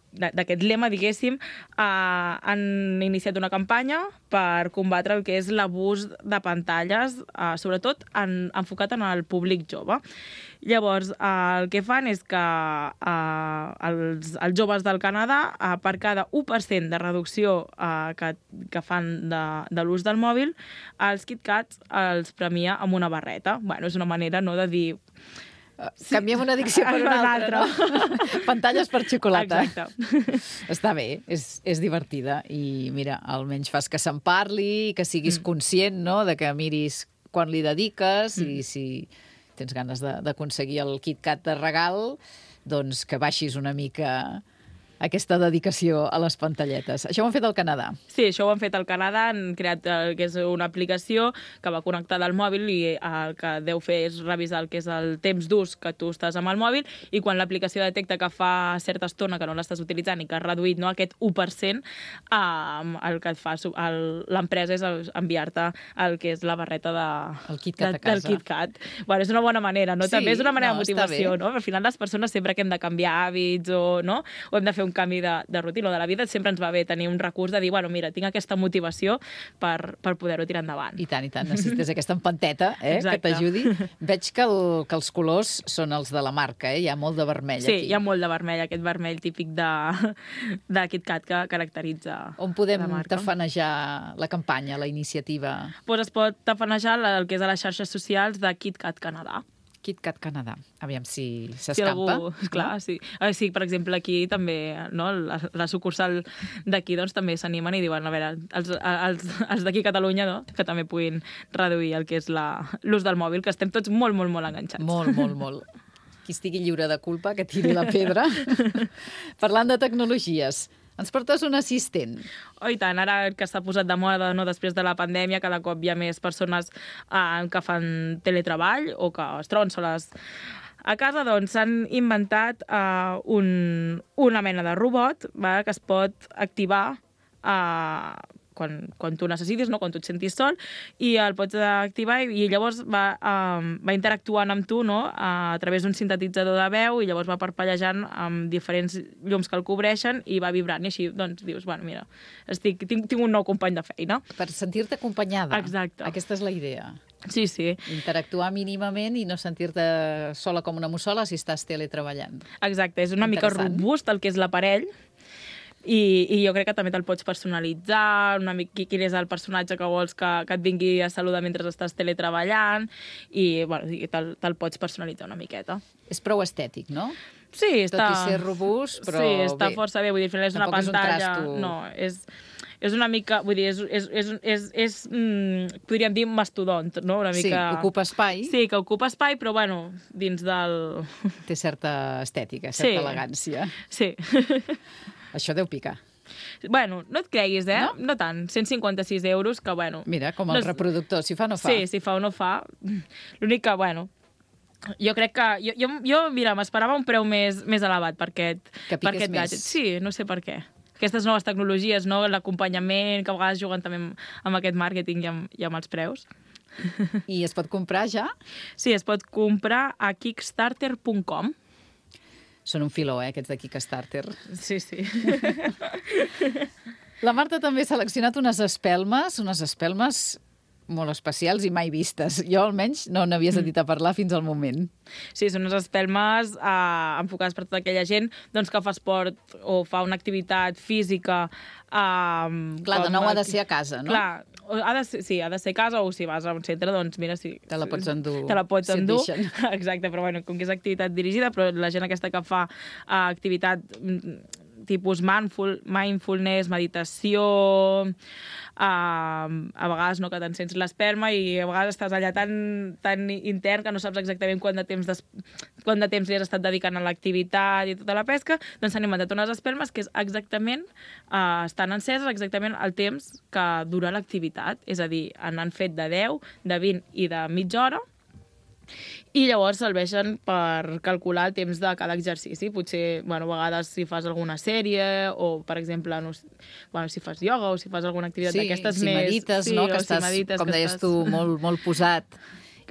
d'aquest lema, diguéssim, eh, han iniciat una campanya per combatre el que és l'abús de pantalles, eh, sobretot en, enfocat en el públic jove. Llavors, eh, el que fan és que eh, els, els joves del Canadà, eh, per cada u per cent de reducció eh, que, que fan de, de l'ús del mòbil, els KitKats els premia amb una barreta. Bueno, és una manera, no?, de dir... Sí. Canviem una addicció per una altra, no? Pantalles per xocolata. Exacte. Està bé, és, és divertida i mira, almenys fas que se'n parli, que siguis mm. conscient, no?, de que miris quan li dediques mm. i si tens ganes d'aconseguir el KitKat de regal, doncs que baixis una mica aquesta dedicació a les pantalletes. Això ho han fet al Canadà. Sí, això ho han fet al Canadà, han creat el que és una aplicació que va connectada al mòbil i el que deu fer és revisar el que és el temps d'ús que tu estàs amb el mòbil i quan l'aplicació detecta que fa certa estona que no l'estàs utilitzant i que has reduït, no, aquest u per cent, eh, el que et fa l'empresa és enviar-te el que és la barreta de, el KitKat de, a casa. Del KitKat. Bueno, és una bona manera, no? Sí, També és una manera no, de motivació, no? Al final les persones sempre que hem de canviar hàbits o, no? O hem de fer un canvi de, de rutina o de la vida, sempre ens va bé tenir un recurs de dir, bueno, mira, tinc aquesta motivació per, per poder-ho tirar endavant. I tant, i tant. Necessites aquesta empanteta, eh, que t'ajudi. Veig que, el, que els colors són els de la marca, eh? Hi ha molt de vermell sí, aquí. Sí, hi ha molt de vermell, aquest vermell típic de, de KitKat que caracteritza On podem tafanejar la campanya, la iniciativa? Pues es pot tafanejar el que és a les xarxes socials de KitKat Canadà. KitKat Canadà. Aviam si s'escampa. Si algú, clar, no? Sí. Ah, sí, per exemple, aquí també, no, la, la sucursal d'aquí doncs, també s'animen i diuen, a veure, els, els, els d'aquí a Catalunya, no? Que també puguin reduir el que és l'ús del mòbil, que estem tots molt, molt, molt enganxats. Molt, molt, molt. Qui estigui lliure de culpa, que tiri la pedra. Parlant de tecnologies, ens portes un assistent. Oh, i tant, ara que s'ha posat de moda, no, després de la pandèmia, cada cop hi ha més persones eh, que fan teletreball o que es troben soles a casa, doncs s'han inventat eh, un, una mena de robot, va, que es pot activar eh, quan, quan tu necessitis, no? Quan tu et sentis sol, i el pots activar i, i llavors va, um, va interactuant amb tu, no? A, a través d'un sintetitzador de veu i llavors va parpellejant amb diferents llums que el cobreixen i va vibrant i així doncs dius, bueno, mira, estic, tinc, tinc un nou company de feina. Per sentir-te acompanyada. Exacte. Aquesta és la idea. Sí, sí. Interactuar mínimament i no sentir-te sola com una mussola si estàs teletreballant. Exacte, és una mica robust el que és l'aparell. I, i jo crec que també te'l pots personalitzar, una mica quin és el personatge que vols que, que et vingui a saludar mentre estàs teletreballant i bueno, te'l te pots personalitzar una miqueta. És prou estètic, no? Sí, està... Tot i ser robust, però sí, està bé. força bé, vull dir, és una pantalla... És un trasto... No, és... És una mica, vull dir, és, és, és, és, és mm, podríem dir mastodont, no? Una mica... Sí, ocupa espai. Sí, que ocupa espai, però, bueno, dins del... Té certa estètica, certa sí. elegància. Sí. Això deu picar. Bueno, no et creguis, eh? No, no tant. cent cinquanta-sis euros, que, bueno... Mira, com el no... reproductor, si fa no fa. Sí, si fa o no fa. L'únic que, bueno... Jo crec que... Jo, jo, jo mira, m'esperava un preu més, més elevat per aquest, per aquest gadget. Sí, no sé per què. Aquestes noves tecnologies, no? L'acompanyament, que a vegades juguen també amb, amb aquest màrqueting i amb, i amb els preus. I es pot comprar ja? Sí, es pot comprar a kickstarter punt com. Són un filó, eh, aquests de Kickstarter. Sí, sí. La Marta també ha seleccionat unes espelmes, unes espelmes molt especials i mai vistes. Jo, almenys, no n'havia sentit a parlar fins al moment. Sí, són unes espelmes eh, enfocades per tota aquella gent doncs, que fa esport o fa una activitat física. Eh, Clar, de nou ha de ser a casa, no? Clar, ha de ser, sí, ha de ser a casa o si vas a un centre, doncs mira, si... Te la pots endur. Te la pots si endur. Exacte, però bueno, com que és activitat dirigida, però la gent aquesta que fa uh, activitat tipus mindful, mindfulness, meditació, uh, a vegades no, que te'n sents l'esperma i a vegades estàs allà tan, tan intern que no saps exactament quant de temps, des... quant de temps li has estat dedicant a l'activitat i tota la pesca, doncs s'han inventat unes espelmes que és exactament, uh, estan enceses exactament el temps que dura l'activitat, és a dir, n'han fet de deu, de vint i de mitja hora, i llavors serveixen per calcular el temps de cada exercici. Potser, bueno, a vegades si fas alguna sèrie o, per exemple, no, bueno, si fas ioga o si fas alguna activitat sí, d'aquestes si més... medites, sí, no? Que si estàs, medites, com que deies estàs... tu, molt, molt posat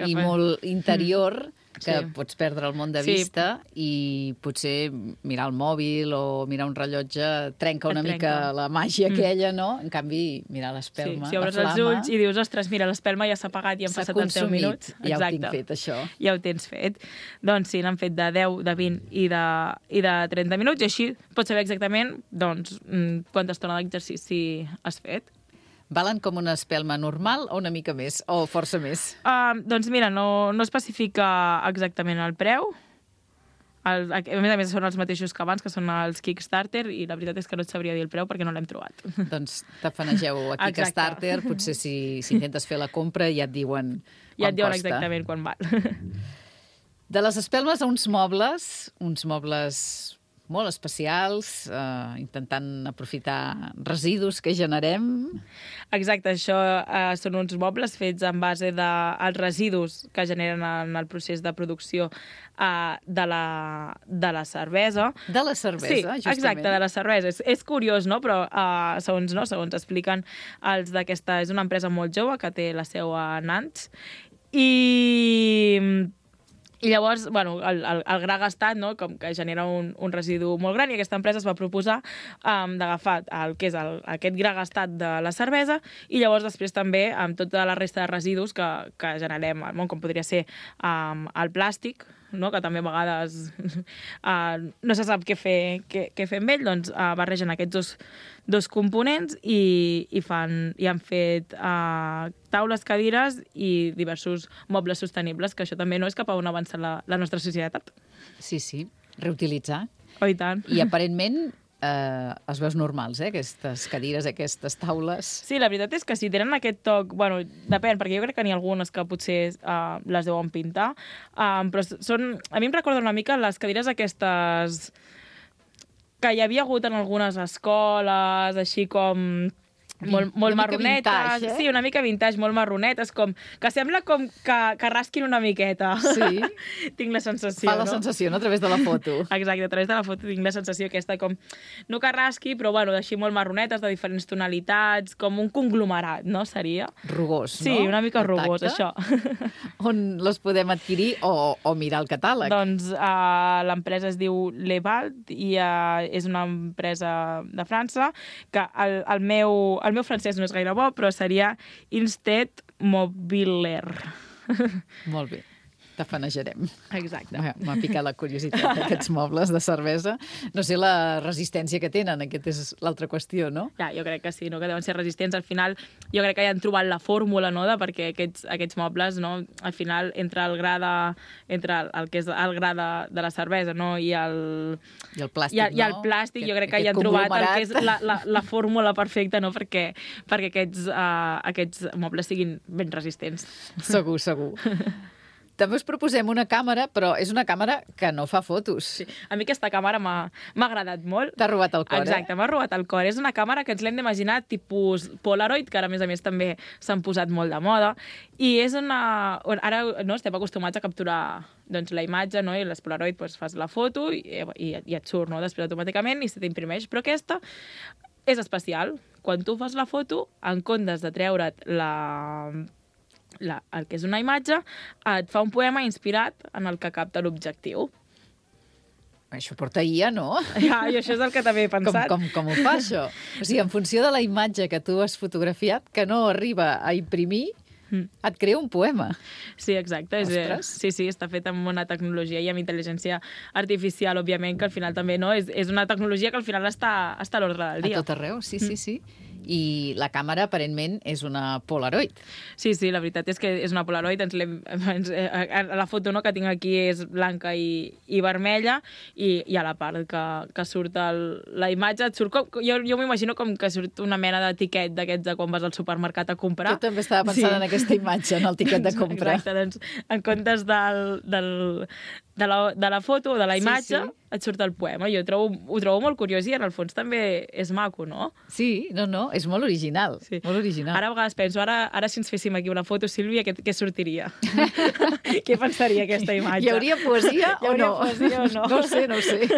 i fa... molt interior, que sí. pots perdre el món de Sí. vista i potser mirar el mòbil o mirar un rellotge trenca una Et trenca. mica la màgia Mm. aquella, no? En canvi, mirar Sí, l'espelma, si obres la els flama... ulls i dius, ostres, mira, l'espelma ja s'ha apagat i han S'ha passat els deu consumit. minuts. Ja ho tinc fet, això. Ja ho tens fet. Doncs sí, n'han fet de deu, de vint i de, i de trenta minuts, i així pots saber exactament doncs, mm, quanta estona d'exercici has fet. Valen com una espelma normal o una mica més, o força més? Uh, doncs mira, no, no especifica exactament el preu. El, a més a més són els mateixos que abans, que són els Kickstarter, i la veritat és que no et sabria dir el preu perquè no l'hem trobat. Doncs tafanegeu a Kickstarter, potser si, si intentes fer la compra ja et diuen quan Ja et diuen costa. exactament quan val. De les espelmes a uns mobles, uns mobles molt especials, eh, intentant aprofitar residus que generem. Exacte, això eh, són uns mobles fets en base dels de, residus que generen en el procés de producció eh, de, la, de la cervesa. De la cervesa, sí, justament. exacte, de la cervesa. És, és curiós, no? Però eh, segons, no? segons expliquen els d'aquesta... És una empresa molt jove que té la seu a Nantes i... I llavors, bueno, el, el, el gra gastat, no?, com que genera un, un residu molt gran, i aquesta empresa es va proposar um, d'agafar el que és el, aquest gra gastat de la cervesa i llavors després també amb tota la resta de residus que, que generem al món, com podria ser um, el plàstic, no?, que també a vegades uh, no se sap què fer, què, què fer amb ell, doncs uh, barregen aquests dos, dos components i, i, fan, i han fet uh, taules, cadires i diversos mobles sostenibles, que això també no és cap a on avança la, la nostra societat. Sí, sí, reutilitzar. Oh, i tant. I aparentment eh, es veus normals, eh, aquestes cadires, aquestes taules. Sí, la veritat és que si tenen aquest toc... Bueno, depèn, perquè jo crec que n'hi ha algunes que potser uh, les deuen pintar, uh, però són... A mi em recorda una mica les cadires aquestes que hi havia hagut en algunes escoles, així com... molt, molt una mica marronetes, vintage, eh? Sí, una mica vintage, molt marronetes, com que sembla com que, que rasquin una miqueta. Sí. Tinc la sensació, Fa la no? sensació, no?, a través de la foto. Exacte, a través de la foto tinc la sensació aquesta com, no que rasqui, però bueno, així molt marronetes, de diferents tonalitats, com un conglomerat, no? Seria? Rugós, Sí, no? una mica El rugós, tacte. això. On les podem adquirir o, o mirar el catàleg? Doncs uh, l'empresa es diu Levalt i uh, és una empresa de França que el, el, meu, el meu francès no és gaire bo, però seria Insted Mobiller. Molt bé. Tafanejarem. Exacte. M'ha m'ha picat la curiositat d'aquests mobles de cervesa. No sé la resistència que tenen, aquesta és l'altra qüestió, no? Ja, jo crec que sí, no? Que deuen ser resistents. Al final, jo crec que ja han trobat la fórmula, no?, de perquè aquests, aquests mobles, no?, al final, entre el gra de, entre el, el que és el gra de, de la cervesa, no?, i el, I el plàstic, i el, no? i el plàstic, Aquest, jo crec que ja han trobat el que és la, la, la fórmula perfecta, no?, perquè, perquè aquests, uh, aquests mobles siguin ben resistents. Segur, segur. També us proposem una càmera, però és una càmera que no fa fotos. Sí. A mi aquesta càmera m'ha agradat molt. T'ha robat el cor, Exacte, eh? m'ha robat el cor. És una càmera que ens l'hem d'imaginar tipus Polaroid, que ara, a més a més, també s'han posat molt de moda. I és una... Ara no, estem acostumats a capturar doncs, la imatge, no? I les Polaroid doncs, fas la foto i, i, i et surt, no?, després automàticament i se t'imprimeix. Però aquesta és especial. Quan tu fas la foto, en comptes de treure't la... La, el que és una imatge, et fa un poema inspirat en el que capta l'objectiu. Això porta I A, no? Ja, i això és el que també he pensat. Com, com, com ho fa, això? O sigui, en funció de la imatge que tu has fotografiat, que no arriba a imprimir, mm. et crea un poema. Sí, exacte. És, sí, sí, està fet amb una tecnologia i amb intel·ligència artificial, òbviament, que al final també no és, és una tecnologia que al final està, està a l'ordre del dia. A tot arreu, sí, sí, sí. I la càmera, aparentment, és una Polaroid. Sí, sí, la veritat és que és una Polaroid. Ens ens, la foto no, que tinc aquí és blanca i, i vermella, i, i a la part que, que surt el, la imatge, et surt com, jo, jo m'imagino com que surt una mena d'etiquet d'aquests de quan vas al supermercat a comprar. Jo també estava pensant sí. en aquesta imatge, en el tiquet de compra. Exacte, doncs en comptes del, del, de, la, de la foto o de la imatge, sí, sí. et surt el poema. Jo trobo, ho trobo molt curiós i en el fons també és maco, no? Sí, no, no, és molt original. Sí. Molt original. Ara a vegades penso, ara, ara si ens féssim aquí una foto, Sílvia, què, què sortiria? Què pensaria aquesta imatge? Hi hauria poesia o no? Poesia o no? No ho sé, no ho sé.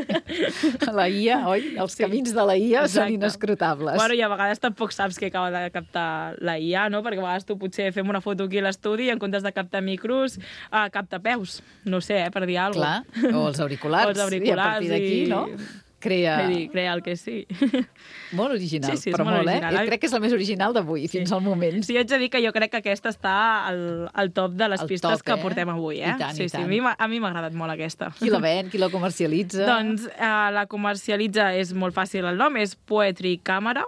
La I A, oi? Els sí. camins de la I A Exacte. Són inescrutables. Bueno, i a vegades tampoc saps què acaba de captar la I A, no? Perquè a vegades tu potser fem una foto aquí a l'estudi i en comptes de captar micros, uh, capta peus. No sé, eh, per dir alguna cosa. Clar, o els auriculars. O els auriculars. I a partir d'aquí, i... no? Crea... Dir, crea el que sí. Molt original, sí, sí, però molt, molt, original. eh? Crec que és la més original d'avui, sí. fins al moment. Sí, jo haig de dir que jo crec que aquesta està al, al top de les el pistes top, que eh? portem avui, eh? I tant, sí, i tant. Sí, a mi m'ha agradat molt aquesta. Qui la ven, qui la comercialitza? Doncs eh, la comercialitza, és molt fàcil el nom, és Poetry Camera.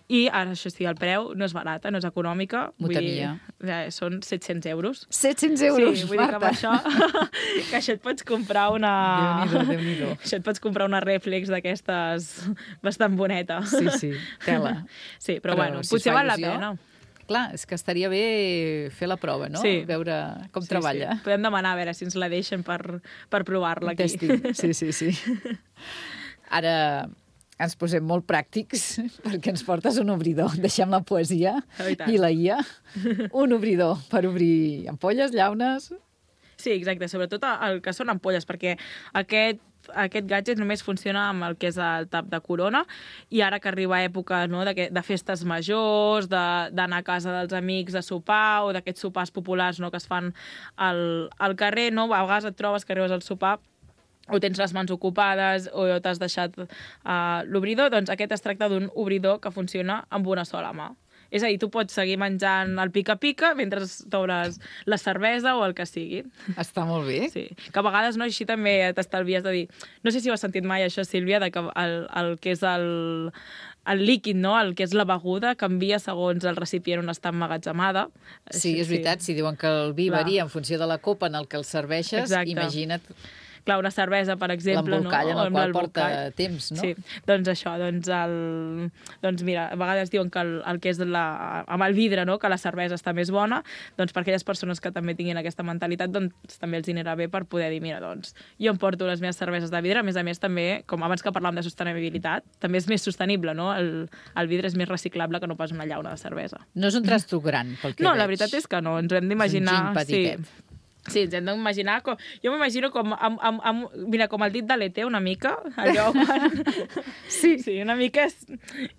I ara, això sí, el preu no és barata, no és econòmica. M'ho temia. Eh, són set-cents euros. set-cents euros, sí, vull Marta. dir que amb això, que això et pots comprar una... Déu-n'hi-do, Déu-n'hi-do. Això et pots comprar una rèflex d'aquestes bastant boneta. Sí, sí, tela. Sí, però, però bueno, si potser val la pena. Clar, és que estaria bé fer la prova, no? Sí. Veure com sí, treballa. Sí. Podem demanar a veure si ens la deixen per, per provar-la aquí. Testing. Sí, sí, sí. Ara... ens posem molt pràctics perquè ens portes un obridor. Deixem la poesia oh, i, i la I A. Un obridor per obrir ampolles, llaunes... Sí, exacte. Sobretot el que són ampolles, perquè aquest aquest gadget només funciona amb el que és el tap de corona i ara que arriba època no, de, de festes majors, d'anar a casa dels amics a sopar o d'aquests sopars populars no, que es fan al, al carrer, no? A vegades et trobes que arribes al sopar o tens les mans ocupades o t'has deixat uh, l'obridor, doncs aquest es tracta d'un obridor que funciona amb una sola mà. És a dir, tu pots seguir menjant el pica-pica mentre t'obres la cervesa o el que sigui. Està molt bé. Sí, que a vegades no, així també t'estalvies de dir... No sé si ho has sentit mai, això, Sílvia, de que el, el que és el, el líquid, no? El que és la beguda, canvia segons el recipient on està emmagatzemada. Sí, és veritat, sí. Si diuen que el vi Clar. varia en funció de la copa en el que el serveixes, Exacte. Imagina't... Clar, una cervesa, per exemple, no? L'embolcall en el qual porta temps, no? Sí, doncs això, doncs, el... doncs mira, a vegades diuen que el, el que és la... amb el vidre, no?, que la cervesa està més bona, doncs per aquelles persones que també tinguin aquesta mentalitat, doncs també els anirà bé per poder dir, mira, doncs, jo em porto les meves cerveses de vidre, a més a més també, com abans que parlàvem de sostenibilitat, també és més sostenible, no? El, el vidre és més reciclable que no pas una llauna de cervesa. No és un trasto gran, pel que no, veig. La veritat és que no, ens ho hem d'imaginar... És un gin petitet. Sí. Sí, ens hem d'imaginar... Com... Jo m'imagino com, amb, amb, amb, mira, com el dit de l'E T, una mica, allò quan... sí. Sí, una mica és,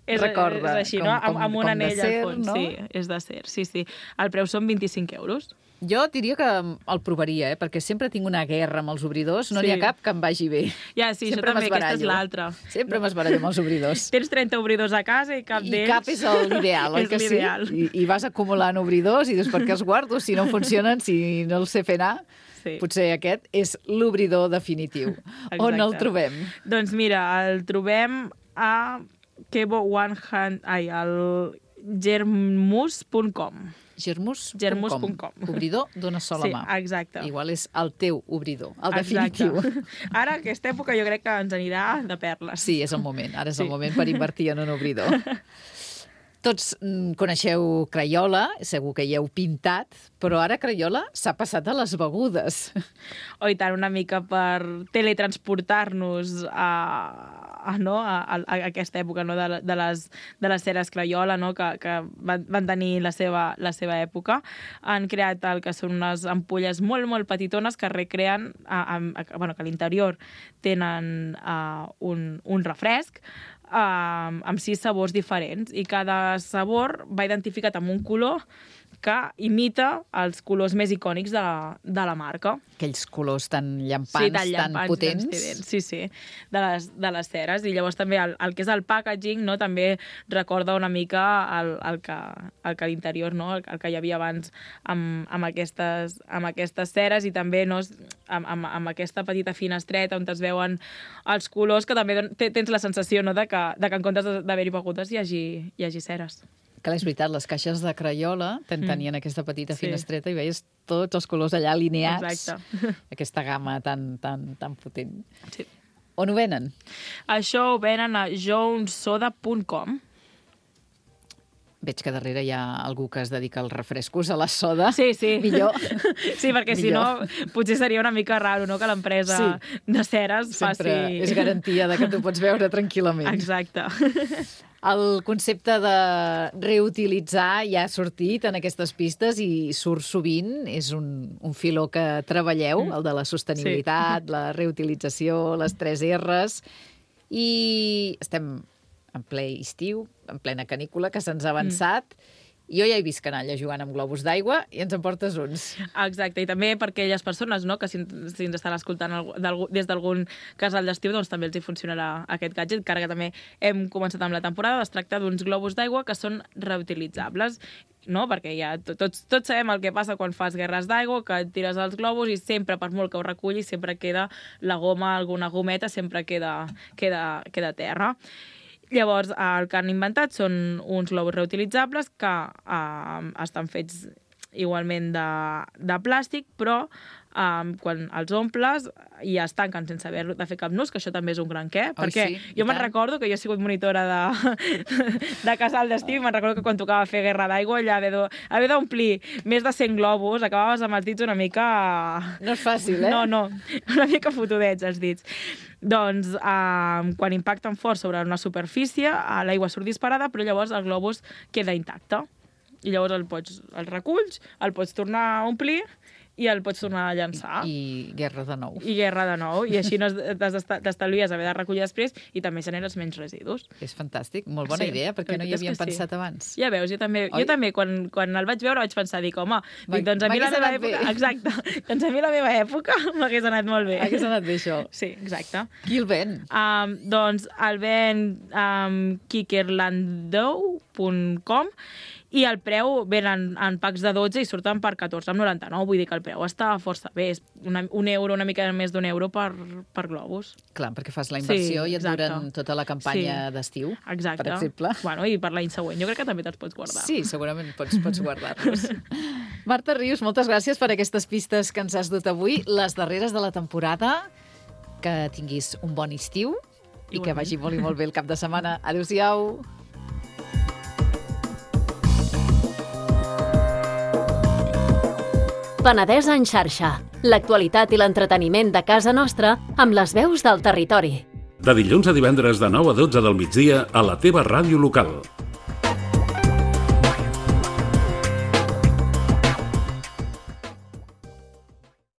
és, Recorda, és així, com, no? Amb, com, amb un anell ser, al fons. No? Sí, és de ser, sí, sí. El preu són vint-i-cinc euros. Jo diria que el provaria, eh? Perquè sempre tinc una guerra amb els obridors, no n'hi Sí. ha cap que em vagi bé. Ja, sí, sempre això també, aquesta és l'altra. Sempre m'esbarallo amb els obridors. Tens trenta obridors a casa i cap d'ells... I cap és l'ideal, oi que sí? I, I vas acumulant obridors i dius, per què els guardo? Si no funcionen, si no els sé fer anar... Sí. Potser aquest és l'obridor definitiu. Exacte. On el trobem? Doncs mira, el trobem a Kebo One Hand... Ai, al germus punt com. Germus punt com. Obridor d'una sola sí, mà. Exacte. Igual és el teu obridor, el exacte. definitiu. Ara, aquesta època, jo crec que ens anirà de perles. Sí, és el moment. Ara és sí. el moment per invertir en un obridor. Tots mm, coneixeu Crayola, segur que hi heu pintat, però ara Crayola s'ha passat a les begudes. Oh, i tant, una mica per teletransportar-nos a, a, no? a, a aquesta època no? de, de, les, de les ceres Crayola, no? que, que van, van tenir la seva, la seva època. Han creat el que són unes ampolles molt, molt petitones que recreen, a, a, a, bueno, que a l'interior tenen uh, un, un refresc, Uh, amb sis sabors diferents i cada sabor va identificat amb un color que imita els colors més icònics de la, de la marca. Aquells colors tan llampants, sí, tan, llampants, tan potents. Tan estridents, sí, sí, de les, de les ceres. I llavors també el, el que és el packaging, no, també recorda una mica el, el que, el que a l'interior, no, el, el que hi havia abans amb, amb, aquestes, amb aquestes ceres i també no, amb, amb, amb aquesta petita finestreta on es veuen els colors, que també tens la sensació, no, de, que, de que en comptes d'haver-hi begudes hi hagi, hi hagi ceres. Que és veritat, les caixes de Crayola tenien mm. aquesta petita sí. finestreta i veies tots els colors allà alineats. Exacte. Aquesta gamma tan, tan, tan potent. Sí. On ho venen? Això ho venen a jones soda punt com. Veig que darrere hi ha algú que es dedica als refrescos, a la soda. Sí, sí. Millor. Sí, perquè si no, potser seria una mica raro, no?, que l'empresa sí. de ceres faci... Sempre és garantia de que tu pots beure tranquil·lament. Exacte. El concepte de reutilitzar ja ha sortit en aquestes pistes i surt sovint. És un, un filó que treballeu, el de la sostenibilitat, sí. la reutilització, les tres R's. I estem en ple estiu, en plena canícula, que se'ns ha avançat. Mm. Jo ja he vist canalla jugant amb globus d'aigua i ens en portes uns. Exacte, i també per aquelles persones, no?, que si, si ens estan escoltant des d'algun casal d'estiu, doncs també els hi funcionarà aquest gadget, encara que també hem començat amb la temporada. Es tracta d'uns globus d'aigua que són reutilitzables, no?, perquè ja tots, tots sabem el que passa quan fas guerres d'aigua, que tires els globus i sempre, per molt que ho recullis, sempre queda la goma, alguna gometa, sempre queda, queda, queda terra. Llavors, el que han inventat són uns globus reutilitzables que eh, estan fets igualment de, de plàstic, però eh, quan els omples ja es tanquen sense haver de fer cap nus, que això també és un gran què, oh, perquè sí, jo me'n recordo que jo he sigut monitora de, de casal d'estiu i me'n recordo que quan tocava fer guerra d'aigua allà haver d'omplir més de cent globus, acabaves amb els dits una mica... No és fàcil, eh? No, no, una mica fotudets els dits. Doncs, eh, quan impacten fort sobre una superfície, l'aigua surt disparada, però llavors el globus queda intacte. I llavors el, pots, el reculls, el pots tornar a omplir i el pots tornar a llançar. I, i guerra de nou. I guerra de nou. I així no t'estalvies haver de recollir després i també generes menys residus. És fantàstic, molt bona sí, idea, perquè no hi havíem pensat sí. abans. Ja veus, jo també, jo també quan, quan el vaig veure vaig pensar, dic, home, dic, doncs a mi la meva època... Bé. Exacte, doncs a mi la meva època m'hagués anat molt bé. Hagués anat bé, això. Sí, exacte. Qui el ven? Um, doncs el ven um, kikerlandou punt com i el preu ven en, en packs de dotze i surten per catorze coma noranta-nou, vull dir que el preu està força bé, és una, un euro, una mica més d'un euro per, per globus. Clar, perquè fas la inversió sí, i et duren tota la campanya sí. d'estiu, exacte. Per exemple. Bueno, i per l'any següent, jo crec que també te'ls pots guardar. Sí, segurament pots, pots guardar-los. Marta Rius, moltes gràcies per aquestes pistes que ens has dut avui, les darreres de la temporada, que tinguis un bon estiu i Igualment. Que vagi molt i molt bé el cap de setmana. Adéu-siau. Penedès en xarxa. L'actualitat i l'entreteniment de casa nostra amb les veus del territori. De dilluns a divendres de nou a dotze del migdia a la teva ràdio local.